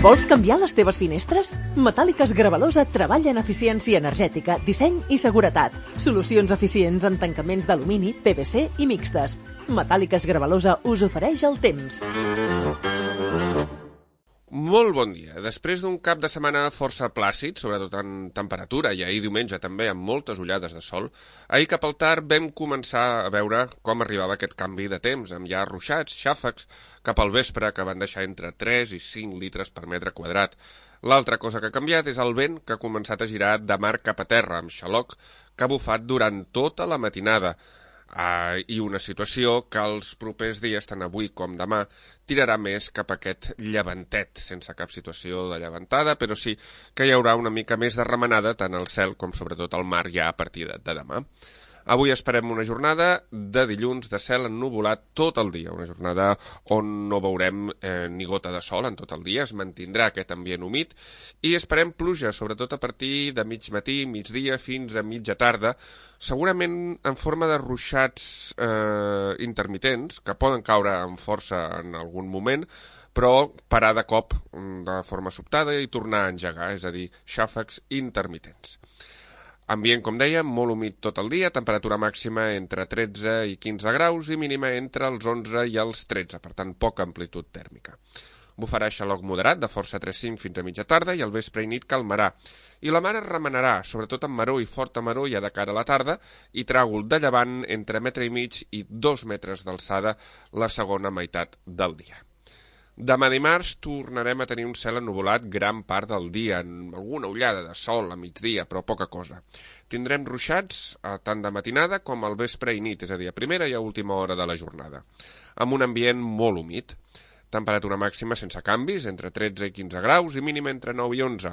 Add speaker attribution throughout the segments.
Speaker 1: Vols canviar les teves finestres? Metàl·liques Gravalosa treballa en eficiència energètica, disseny i seguretat. Solucions eficients en tancaments d'alumini, PVC i mixtes. Metàl·liques Gravalosa us ofereix el temps.
Speaker 2: Molt bon dia. Després d'un cap de setmana força plàcid, sobretot en temperatura, i ahir diumenge també amb moltes ullades de sol, ahir cap al tard vam començar a veure com arribava aquest canvi de temps, amb ja ruixats, xàfecs, cap al vespre, que van deixar entre 3 i 5 litres per metre quadrat. L'altra cosa que ha canviat és el vent, que ha començat a girar de mar cap a terra, amb xaloc, que ha bufat durant tota la matinada. I una situació que els propers dies, tant avui com demà, tirarà més cap a aquest llevantet, sense cap situació de llevantada, però sí que hi haurà una mica més de remenada tant al cel com sobretot al mar ja a partir de demà. Avui esperem una jornada de dilluns de cel ennuvolat tot el dia, una jornada on no veurem ni gota de sol en tot el dia, es mantindrà aquest ambient humit i esperem pluja, sobretot a partir de mig matí, migdia, fins a mitja tarda, segurament en forma de ruixats intermitents, que poden caure amb força en algun moment, però parar de cop de forma sobtada i tornar a engegar, és a dir, xàfecs intermitents. Ambient, com dèiem, molt humit tot el dia, temperatura màxima entre 13 i 15 graus i mínima entre els 11 i els 13, per tant, poca amplitud tèrmica. Bufarà xaloc moderat de força 3-5 fins a mitja tarda i al vespre i nit calmarà. I la mar es remenarà, sobretot amb maror i forta maror ja de cara a la tarda, i tràgol de llevant entre metre i mig i 2 metres d'alçada la segona meitat del dia. Demà dimarts tornarem a tenir un cel ennuvolat gran part del dia, amb alguna ullada de sol a migdia, però poca cosa. Tindrem ruixats tant de matinada com al vespre i nit, és a dir, a primera i a última hora de la jornada, amb un ambient molt humit. Temperatura màxima sense canvis, entre 13 i 15 graus, i mínima entre 9 i 11.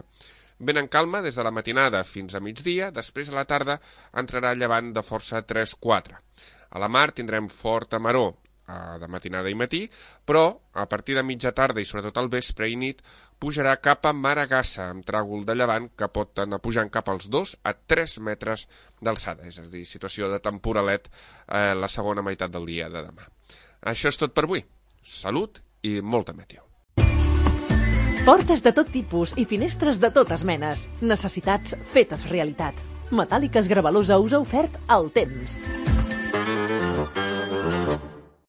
Speaker 2: Vent en calma des de la matinada fins a migdia, després a la tarda entrarà llevant de força 3-4. A la mar tindrem forta maror, de matinada i matí, però a partir de mitja tarda i sobretot al vespre i nit pujarà cap a Maragassa amb tràgol de llevant que pot anar pujant cap als 2 a 3 metres d'alçada, és a dir, situació de temporalet la segona meitat del dia de demà. Això és tot per avui. Salut i molta meteo.
Speaker 1: Portes de tot tipus i finestres de totes menes. Necessitats fetes realitat. Metàl·liques Gravalosa us ha ofert el temps.